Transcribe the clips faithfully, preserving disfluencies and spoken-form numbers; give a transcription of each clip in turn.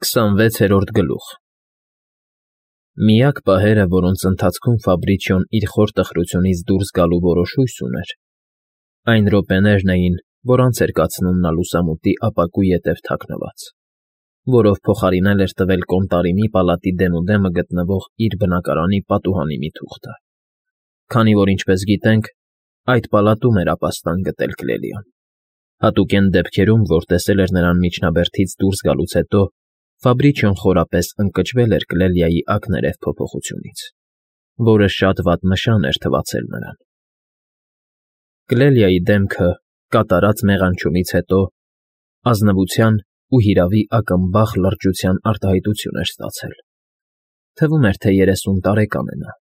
քսանվեցերորդ գլուխ Միակ պահերը, որոնց ընթացքում Ֆաբրիչիոն իր խոր տխրությունից դուրս գալու որոշ հույս ուներ, այն րոպեներն էին, որ անց էր կացնում նա լուսամուտի ապակու ետև թաքնված, որով փոխարինել էր տվել Կոնտարինի պալատի դեմուդեմը գտնվող իր բնակարանի պատուհանի մի թուղթը, քանի որ, ինչպես գիտենք, այդ պալատում էր ապաստան գտել Կլելիան, հատուկեն դեպքերում, որ տեսել էր նրան միջնաբերդից դուրս գալուց հետո, Ֆաբրիչիոն խորապես ընկճվել էր Կլելիայի ակներև փոփոխությունից, որը շատ վատ նշան էր թվացել նրան։ Կլելիայի դեմքը, կատարած մեղանչումից հետո, ազնվության ու հիրավի ակմբախ լրջության արտահայտություն էր ստացել։ Թվում էր, թե երեսուն տարեկան է նա։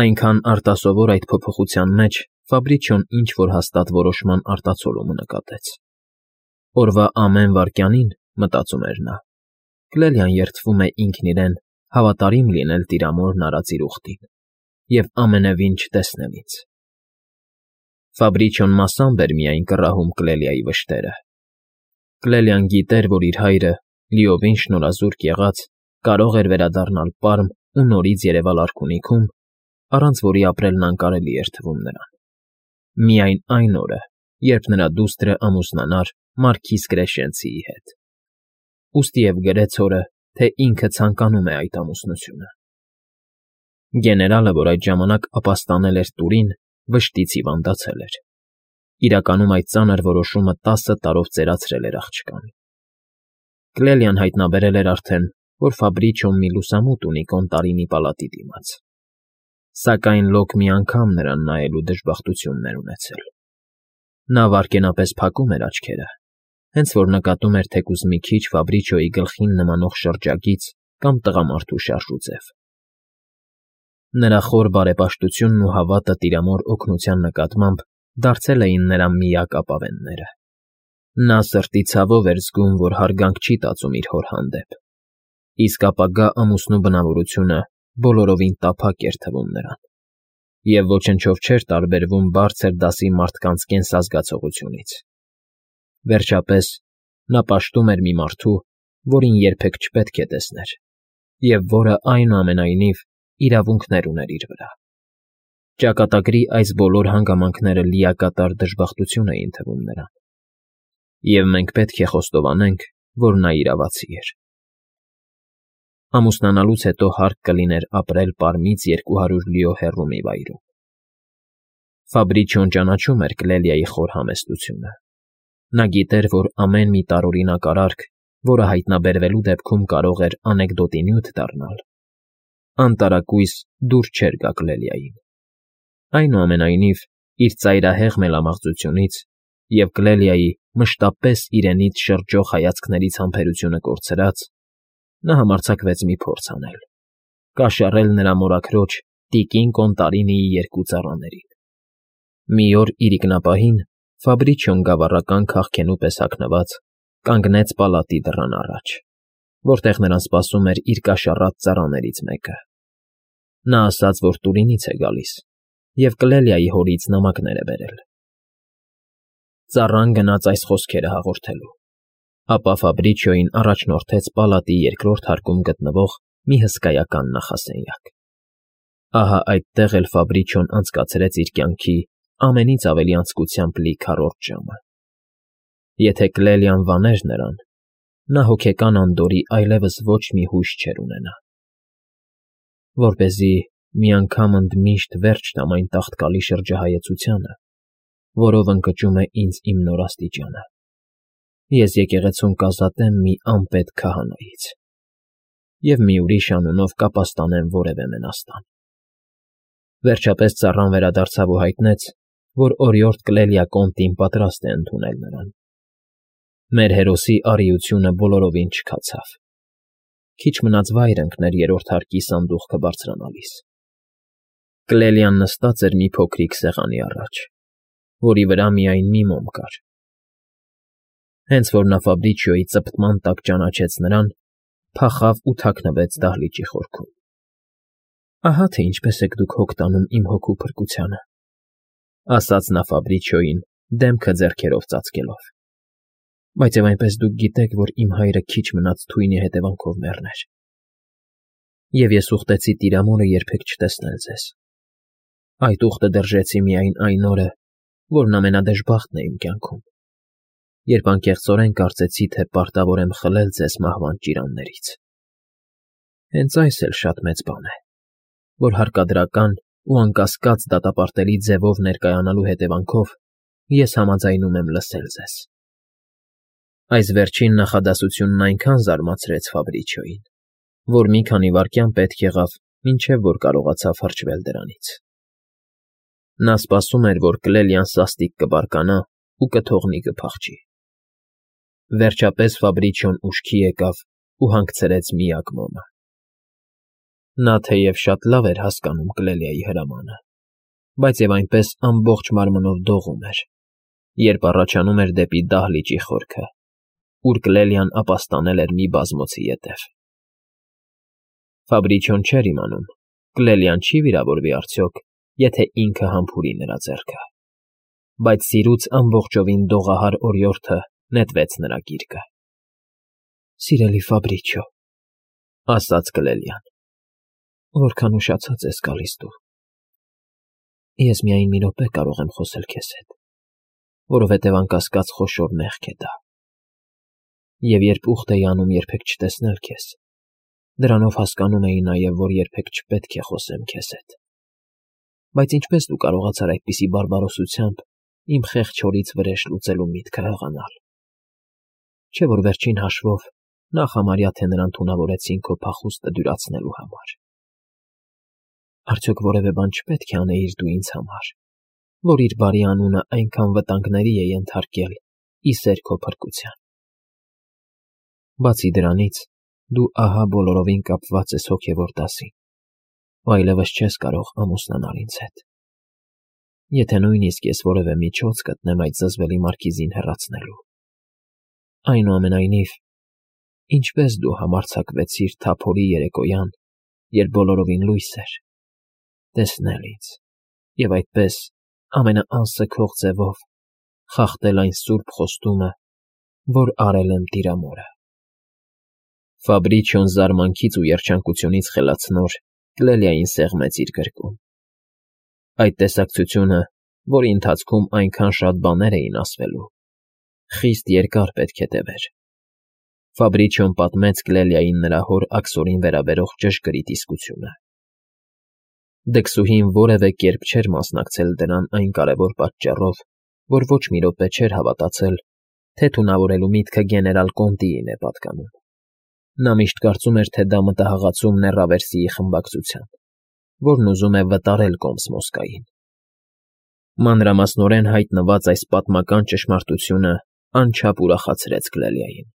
Այնքան արտասովոր այդ փոփոխության մեջ Ֆաբրիչիոն ինչ-որ հաստատ որոշման արտացոլումը նկատեց։ Օրվա ամեն վայրկյանին, մտածում էր նա, Կլելիան երդվում է ինքն իրեն հավատարիմ լինել տիրամորն արած իր ուխտին և ամենևին չտեսնել ինձ։ Ֆաբրիչիոն մասամբ էր միայն կռահում Կլելիայի վշտերը։ Կլելիան գիտեր, որ իր հայրը, լիովին շնորհազուրկ եղած, կարող էր վերադառնալ պարմ ու նորից երևալ արքունիքում, առանց որի ապրելն անկարելի էր թվում նրան։ Միայն այն օրը, երբ նրա դուստրը ամուսնանար մարքիզ Կրեշենցիի հետ։ Ուստի և գրեց հորը, թե ինքը ցանկանում է այդ ամուսնությունը։ Գեներալը, որ այդ ժամանակ ապաստանել էր Տուրին, վշտից հիվանդացել էր։ Իրականում այդ ծանր որոշումը տասը տարով ծերացրել էր աղջկան։ Կլելիան հայտնաբերել էր արդեն, որ Ֆաբրիչիոն մի լուսամուտ ունի Կոնտարինի պալատի դիմաց։ Սակայն լոկ մի անգամ նրան նայելու դժբախտությունն էր ունեցել։ Նա վայրկենապես փակում էր աչքերը, հենց որ նկատում էր թեկուզ մի քիչ Ֆաբրիչիոյի գլխին նմանող շրջագիծ կամ տղամարդու շարժուձև։ Նրա խոր բարեպաշտությունն ու հավատը տիրամոր օգնության նկատմամբ դարձել էին նրա միակ ապավենները։ Նա սրտի ցավով էր զգում, որ հարգանք չի տածում իր հոր հանդեպ, իսկ ապագա ամուսնու բնավորությունը բոլորովին տափակ էր թվում նրան, և ոչնչով չէր տարբերվում բարձր դասի մարդկանց կենսազգացողությունից։ Վերջապես, նա պաշտում էր մի մարդու, որին երբեք չպետք է տեսներ, և որը, այնուամենայնիվ, իրավունքներ ուներ իր վրա։ Ճակատագրի այս բոլոր հանգամանքները լիակատար դժբախտություն էին թվում նրան, և մենք պետք է խոստովանենք, որ նա իրավացի էր։ Ամուսնանալուց հետո հարկ կլիներ ապրել պարմից երկու հարյուր լիո հեռու մի վայրում։ Ֆաբրիչիոն ճանաչում էր Կլելիայի խոր համեստությունը։ Նա գիտեր, որ ամեն մի տարօրինակ արարք, որը հայտնաբերվելու դեպքում կարող էր անեկդոտի նյութ դառնալ, անտարակույս դուր չէր գա Կլելիային։ Այնուամենայնիվ, իր ծայրահեղ մելամաղձությունից և Կլելիայի մշտապես իրենից շրջող հայացքներից համբերությունը կորցրած, նա համարձակվեց մի փորձ անել՝ կաշառել նրա մորաքրոջ տիկին Կոնտարինիի երկու ծառաներին։ Մի օր իրիկնապահին Ֆաբրիչիոն գավառական քաղքենու պես հագնված կանգնեց պալատի դռան առաջ, որտեղ նրան սպասում էր իր կաշառած ծառաներից մեկը։ Նա ասաց, որ Տուրինից է գալիս և Կլելիայի հորից նամակներ է բերել։ Ծառան գնաց այս խոսքերը հաղորդելու, ապա Ֆաբրիչիոյին առաջնորդեց պալատի երկրորդ հարկում գտնվող մի հսկայական նախասենյակ։ Ահա այդտեղ էլ Ֆաբրիչիոն անցկացրեց իր կյանքի ամենից ավելի անձկությամբ լի քառորդ ժամը։ Եթե Կլելիան վաներ նրան, նա հոգեկան անդորրի այլևս ոչ մի հույս չէր ունենա։ Որպեսզի մի անգամ ընդմիշտ վերջ տամ այն տաղտկալի շրջահայեցությանը, որով ընկճում է ինձ իմ նոր աստիճանը, ես եկեղեցում կազատեմ մի անպետք քահանայից և մի ուրիշ անունով կապաստանեմ որևէ մենաստան։ Վերջապես ծառան վերադարձավ ու հայտնեց, որ օրիորդ Կլելիա Կոնտին պատրաստ է ընդունել նրան։ Մեր հերոսի արիությունը բոլորովին չքացավ։ Քիչ մնաց վայր ընկներ երրորդ հարկի սանդուղքը բարձրանալիս։ Կլելիան նստած էր մի փոքրիկ սեղանի առաջ, որի վրա միայն մի մոմ կար։ Հենց որ նա Ֆաբրիչիոյի ծպտման տակ ճանաչեց նրան, փախավ ու թաքնվեց դահլիճի խորքում։ «Ահա թե ինչպես եք դուք հոգ տանում իմ հոգու փրկությանը», ասաց նա Ֆաբրիչիոյին, դեմքը ձեռքերով ծածկելով։ Բայց եւ այնպես դուք գիտեք, որ իմ հայրը քիչ մնաց թույնի հետևանքով մեռներ։ Եվ ես ուխտեցի Տիրամորը երբեք չտեսնել ձեզ։ Այդ ուխտը դրժեցի միայն այն օրը, որն ամենադժբախտն է իմ կյանքում, երբ անկեղծորեն կարծեցի, թե պարտավոր եմ խլել ձեզ մահվան ճիրաններից։ Հենց այս էլ շատ մեծ բան է, որ հարկադրական ու անկասկած դատապարտելի ձևով ներկայանալու հետևանքով ես համաձայնում եմ լսել ձեզ։ Այս վերջին նախադասությունն այնքան զարմացրեց Ֆաբրիչիոյին, որ մի քանի վայրկյան պետք եղավ, մինչև որ կարողացավ հրճվել դրանից։ Նա սպասում էր, որ Կլելիան սաստիկ կբարկանա ու կթողնի կփախչի։ Վերջապես Ֆաբրիչիոն ուշքի եկավ ու հանգցրեց միակ մոմը։ Նա թեև շատ լավ էր հասկանում Կլելիայի հրամանը, բայց եւ այնպես ամբողջ մարմնով դողում էր, երբ առաջանում էր դեպի դահլիճի խորքը, ուր Կլելիան ապաստանել էր մի բազմոցի ետև։ Ֆաբրիչիոն չէր իմանում, Կլելիան չի վիրավորվի արդյոք, եթե ինքը համբուրի նրա ձեռքը, բայց սիրուց ամբողջովին դողահար օրիորդը նետվեց նրա գիրկը։ Սիրելի Ֆաբրիչիո, ասաց Կլելիան, որքան ուշացած ես գալիս դու։ Ես միայն մի րոպե կարող եմ խոսել քեզ հետ, որովհետև անկասկած խոշոր մեղք է դա։ Եվ երբ ուխտ էի անում երբեք չտեսնել քեզ, դրանով հասկանում էի նաև, որ երբեք չպետք է խոսեմ քեզ հետ։ Բայց ինչպես դու կարողացար այդպիսի բարբարոսությամբ իմ խեղճ հորից վրեժ լուծելու միտքը հղանալ։ Չէ՞ որ վերջին հաշվով նախ համարյա թե նրան թունավորեցին քո փախուստը դյուրացնելու համար։ Արդյոք որևէ բան չպետք է անեիր դու ինձ համար, որ իր բարի անունը այնքան վտանգների է ենթարկել ի սեր քո փրկության։ Բացի դրանից, դու ահա բոլորովին կապված ես հոգևոր դասին, ու այլևս չես կարող ամուսնանալ ինձ հետ։ Եթե նույնիսկ ես որևէ միջոց գտնեմ այդ զզվելի մարգիզին հեռացնելու։ Այնուամենայնիվ, ինչպես դու համարձակվեցիր թափորի երեկոյան, երբ բոլորովին լույս էր, տեսնել ինձ, և այդպես ամենաանսքող ձևով խախտել այն սուրբ խոստումը, որ արել եմ Տիրամորը։ Ֆաբրիչիոն զարմանքից ու երջանկությունից խելացնոր Կլելիային սեղմեց իր գրկում։ Այդ տեսակցությունը, որի ընթացքում այնքան շատ բաներ էին ասվելու, խիստ երկար պետք է տևեր։ Ֆաբրիչիոն պատմեց Կլելիային նրա հոր աքսորին վերաբերող ճշգրիտ իսկությունը։ Դքսուհին որևէ կերպ չէր մասնակցել դրան այն կարևոր պատճառով, որ ոչ մի րոպե չէր հավատացել, թե թունավորելու միտքը գեներալ Կոնտիին է պատկանում։ Նա միշտ կարծում էր, թե դա մտահղացում Նեռավերսիի խմբակցության, որն ուզում է վտարել Կոմս Մոսկային։ Մանրամասնորեն հայտնված այս պատմական ճշմարտությունը անչափ ուրախացրեց Կլելիային։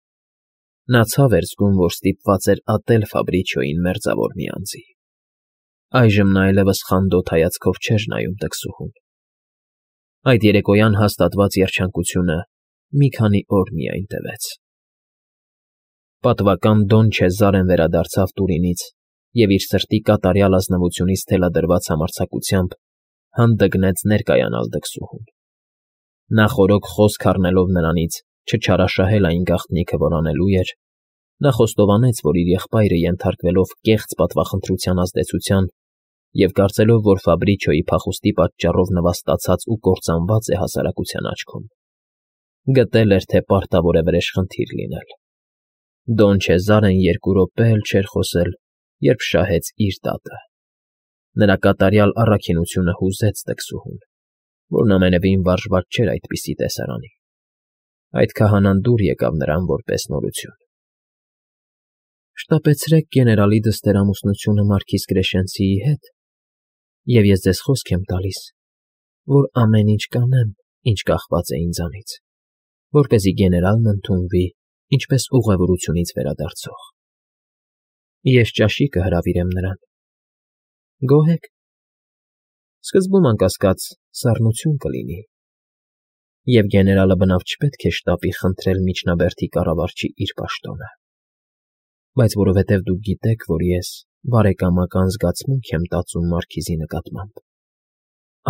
Նա ցավ էր զգում, որ ստիպված էր ատել Ֆաբրիչիոյին մերձավոր մի անձի։ Այժմ նա այլևս խանդոտ հայացքով չէր նայում դքսուհուն։ Այդ երեկոյան հաստատված երջանկությունը մի քանի օր միայն տևեց։ Պատվական Դոն Չեզարեն վերադարձավ Տուրինից և իր սրտի կատարյալ ազնվությունից թելադրված համարձակությամբ հանդգնեց ներկայանալ դքսուհուն։ Նա խորոք խոսք առնելով նրանից չչարաշահել այն գաղտնիքը, որ անելու էր, նա խոստովանեց, որ իր եղբայրը ենթարկվելով կեղծ պատվախնդրության ազդեցության և կարծելով, որ Ֆաբրիչիոյի փախուստի պատճառով նվաստացած ու կործանված է հասարակության աչքում, գտել էր, թե պարտավոր է վրեժխնդիր լինել։ Դոն Չեզարեն երկու րոպե էլ չէր խոսել, երբ շահեց իր դատը։ Նրա կատարյալ առաքինությունը հուզեց դքսուհուն, որն ամենևին վարժված չէր այդպիսի տեսարանի։ Այդ քահանան դուր եկավ նրան որպես նորություն։ Շտապեցրեք գեներալի դստերամուսնությունը մարքիզ Կրեշենցիի հետ, և ես ձեզ խոսք եմ տալիս, որ ամեն ինչ կանեմ, ինչ կախված է ինձանից, որպեսզի գեներալն ընդունվի ինչպես ուղևորությունից վերադարձող։ Ես ճաշի կհրավիրեմ նրան։ Գոհ եք։ Սկզբում, անկասկած, սառնություն կլինի, և գեներալը բնավ չպետք է շտապի խնդրել միջնաբերդի կառավարչի իր պաշտոնը, բայց որովհետև դուք գիտեք, որ ես բարեկամական զգացմունք եմ տածում մարքիզի նկատմամբ,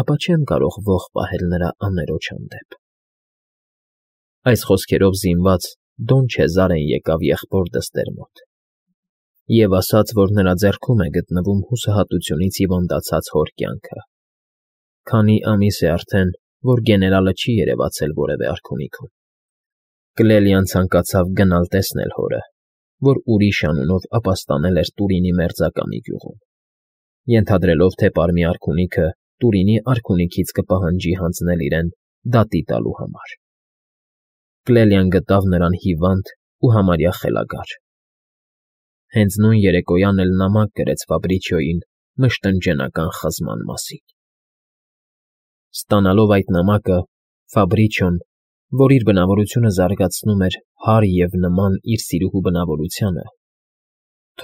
ապա չեմ կարող ոխ պահել նրա աներոջ հանդեպ։ Այս խոսքերով զինված Դոն Չեզարեն եկավ եղբոր դստեր մոտ և ասաց, որ նրա ձեռքում է գտնվում հուսահատությունից հիվանդացած հոր կյանքը. քանի ամիս է արդեն, որ գեներալը չի երևացել որևէ արքունիքում։ Կլելիան ցանկացավ գնալ տեսնել հորը, որ ուրիշ անունով ապաստանել էր Տուրինի մերձականի գյուղում, ենթադրելով, թե պարմի արքունիքը Տուրինի արքունիքից կպահանջի հանձնել իրեն դատի տալու համար։ Կլելիան գտավ նրան հիվանդ ու համարյա խելագար։ Հենց նույն երեկոյան էլ նամակ գրեց Ֆաբրիչիոյին մշտնջենական խզման մասին։ Ստանալով այդ նամակը, Ֆաբրիչիոն, որ իր բնավորությունը զարգացնում էր հարր և նման իր սիրուհու բնավորությանը,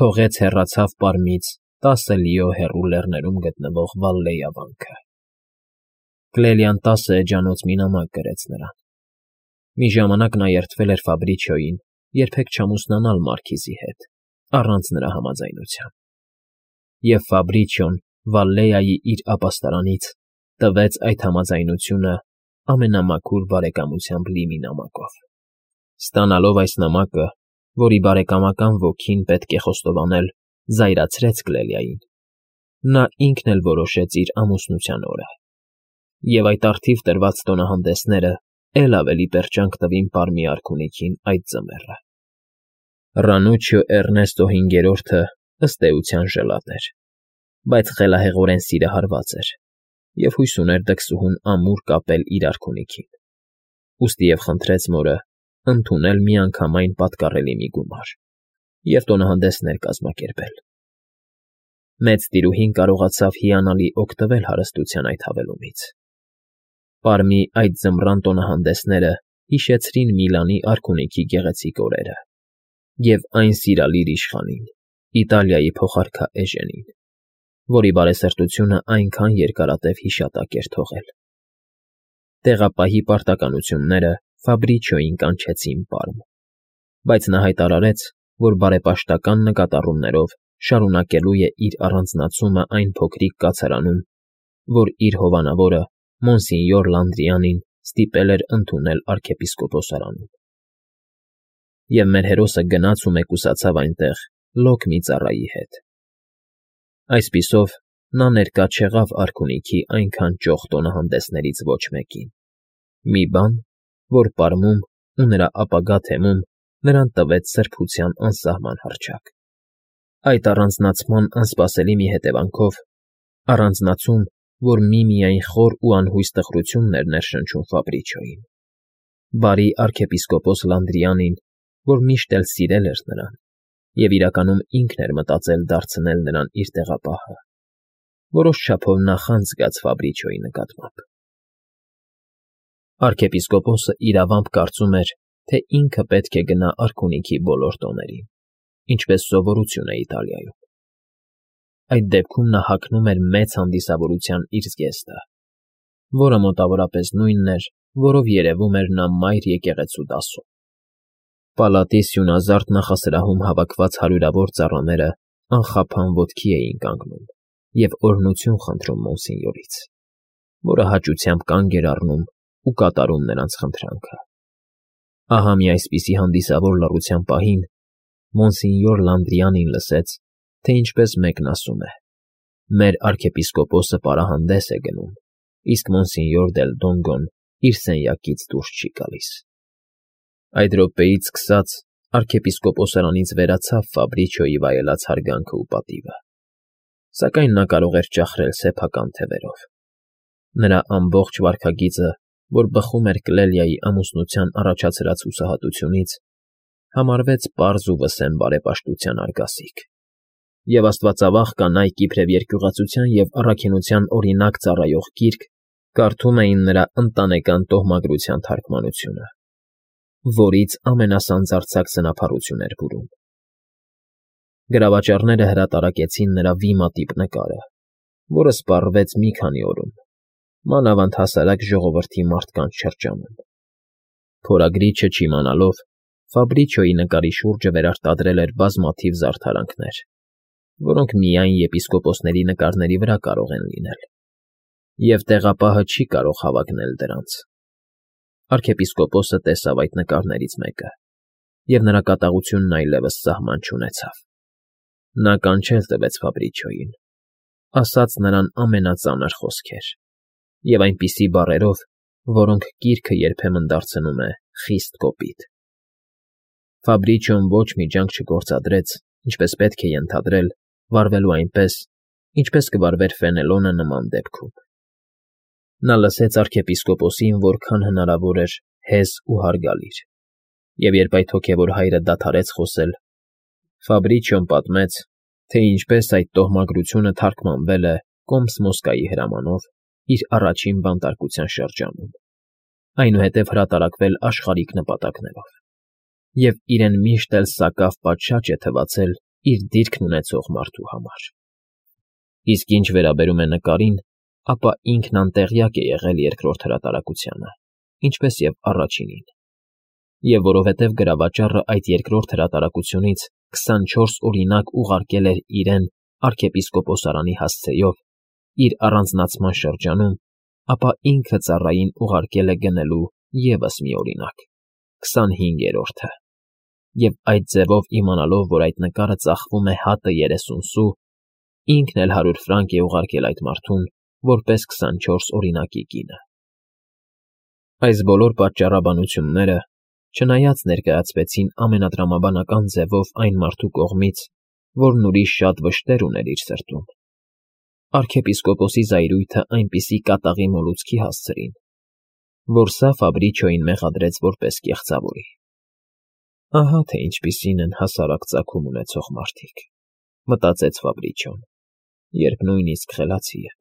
թողեց հեռացավ պարմից տասը լիո հեռու լեռներում գտնվող Վալլեյա վանքը։ Կլելիան տասը էջանոց մի նամակ գրեց նրան։ Մի ժամանակ նա երդվել էր Ֆաբրիչիոյին երբեք չամուսնանալ մարքիզի հետ, առանց նրա համաձայնության։ Եվ Ֆաբրիչիոն Վալլեայի իր ապաստարանից տվեց այդ համաձայնությունը ամենամաքուր բարեկամությամբ լի մի նամակով։ Ստանալով այս նամակը, որի բարեկամական ոգին, պետք է խոստովանել, զայրացրեց Կլելիային, նա ինքն էլ որոշեց իր ամուսնության օրը, և այդ առթիվ տրված տոնահանդեսները էլ ավելի պերճանք տվին պարմի արքունիքին այդ ձմեռը։ Ռանուչիո Էռնեստո հինգերորդը, ըստ էության, ժլատ էր, բայց խելահեղորեն սիրահարված էր և հույս ուներ դքսուհուն ամուր կապել իր արքունիքին, ուստի և խնդրեց մորը ընդունել միանգամայն պատկառելի մի գումար և տոնահանդեսներ կազմակերպել։ Մեծ տիրուհին կարողացավ հիանալի օգտվել հարստության այդ հավելումից։ Պարմի այդ ձմռան տոնահանդեսները հիշեցրին Միլանի արքունիքի գեղեցիկ օրերը և այն սիրալիր իշխանին, Իտալիայի փոխարքա Էժենին, որի բարեսրտությունը այնքան երկարատև հիշատակ էր թողել։ Տեղապահի պարտականությունները Ֆաբրիչիոյին կանչեցին Պարմ, բայց նա հայտարարեց, որ բարեպաշտական նկատառումներով շարունակելու է իր առանձնացումը այն փոքրիկ կացարանում, որ իր հովանավորը Մոնսինյոր Լանդրիանին ստիպել էր ընդունել արքեպիսկոպոսարանում։ Եվ մեր հերոսը գնաց ու մեկուսացավ այնտեղ լոկ մի ծառայի հետ։ Այսպիսով, նա ներկա չեղավ արքունիքի այնքան ճոխ տոնահանդեսներից ոչ մեկին, մի բան, որ Պարմում ու նրա ապագա թեմում նրան տվեց սրբության անսահման հռչակ։ Այդ առանձնացման անսպասելի մի հետևանքով, առանձնացում, որ միմիայն խոր ու անհույս տխրությունն էր ներշնչում Ֆաբրիչիոյին, բարի արքեպիսկոպոս Լանդրիանին, որ միշտ էլ սիրել էր նրան և իրականում ինքն էր մտածել դարձնել նրան իր տեղապահը, որոշ չափով նախանձ զգաց Ֆաբրիչիոյի նկատմամբ։ Արքեպիսկոպոսը իրավամբ կարծում էր, թե ինքը պետք է գնա արքունիքի բոլոր տոներին, ինչպես սովորություն է Իտալիայում։ Այդ դեպքում նա հագնում էր մեծ հանդիսավորության իր զգեստը, որը մոտավորապես նույնն էր, որով երևում էր նա մայր եկեղեցու դասում։ Պալատի սյունազարդ նախասրահում հավաքված հարյուրավոր ծառաները անխափան ոտքի էին կանգնում և օրհնություն խնդրում Մոնսինյորից, որը հաճությամբ կանգ էր առնում ու կատարում նրանց խնդրանքը։ Ահա մի այսպիսի հանդիսավոր լռության պահին Մոնսինյոր Լանդրիանին լսեց, թե ինչպես մեկն ասում է. «Մեր արքեպիսկոպոսը պարահանդես է գնում, իսկ Մոնսինյոր դել Դոնգոն իր սենյակից դուրս չի գալիս»։ Այդ րոպեից սկսած արքեպիսկոպոսարանից վերացավ Ֆաբրիչիոյի վայելած հարգանքը ու պատիվը, սակայն նա կարող էր ճախրել սեփական թևերով։ Նրա ամբողջ վարքագիծը, որ բխում էր Կլելիայի ամուսնության առաջացրած հուսահատությունից, համարվեց պարզ ու վսեմ բարեպաշտության արգասիկ, և աստվածավախ կանայք իբրև երկյուղածության և առաքինության օրինակ ծառայող գիրք կարդում էին նրա ընտանեկան տոհմագրության թարգմանությունը, որից ամենասանձարձակ սնափառություն էր բուրում։ Գրավաճառները հրատարակեցին նրա վիմատիպ նկարը, որը սպառվեց մի քանի օրում, մանավանդ հասարակ ժողովրդի մարդկանց շրջանում։ Փորագրիչը չիմանալով, Ֆաբրիչիոյի նկարի շուրջը վերարտադրել էր բազմաթիվ զարդարանքներ, որոնք միայն եպիսկոպոսների նկարների վրա կարող են լինել, և տեղապահը չի կարող հավակնել դրանց։ Արքեպիսկոպոսը տեսավ այդ նկարներից մեկը, և նրա կատաղությունն այլևս սահման չունեցավ. նա կանչել տվեց Ֆաբրիչոյին, ասաց նրան ամենածանր խոսքեր և այնպիսի բառերով, որոնք կիրքը երբեմն դարձնում է խիստ կոպիտ։ Ֆաբրիչոն ոչ մի ջանք չգործադրեց, ինչպես պետք է ենթադրել, վարվելու այնպես, ինչպես կվարվեր Ֆենելոնը նման դեպքում։ Նա լսեց արքեպիսկոպոսին որքան հնարավոր էր հեզ ու հարգալից, և երբ այդ հոգևոր հայրը դադարեց խոսել, Ֆաբրիչոն պատմեց, թե ինչպես այդ տոհմագրությունը թարգմանվել է Կոմս Մոսկայի հրամանով իր առաջին բանտարկության շրջանում, այնուհետև հրատարակվել աշխարհիկ նպատակներով, և իրեն միշտ էլ սակավ պատշաճ է թվացել իր դիրքն ունեցող մարդու համար։ Իսկ ինչ վերաբերում է նկարին, ապա ինքն անտեղյակ է եղել երկրորդ հրատարակությանը, ինչպես և առաջինին, և որովհետև գրավաճառը այդ երկրորդ հրատարակությունից քսանչորս օրինակ ուղարկել էր իրեն արքեպիսկոպոսարանի հասցեով իր առանձնացման շրջանում, ապա ինքը ծառային ուղարկել է գնելու ևս մի օրինակ, քսանհինգերորդը, և այդ ձևով իմանալով, որ այդ նկարը ծախվում է հատը երեսուն սու, ինքն էլ հարյուր ֆրանկ է ուղարկել այդ մարդուն որպես քսանչորս օրինակի կինը։ Այս բոլոր պատճառաբանությունները, չնայած ներկայացվեցին ամենատրամաբանական ձևով այն մարդու կողմից, որն ուրիշ շատ վշտեր ուներ իր սրտում, արքեպիսկոպոսի զայրույթը այնպիսի կատաղի մոլուցքի հասցրին, որ սա Ֆաբրիչոյին մեղադրեց որպես կեղծավորի։ «Ահա թե ինչպիսին են հասարակ ծագում ունեցող մարդիկ», մտածեց Ֆաբրիչոն, երբ նույնիսկ խելացի է։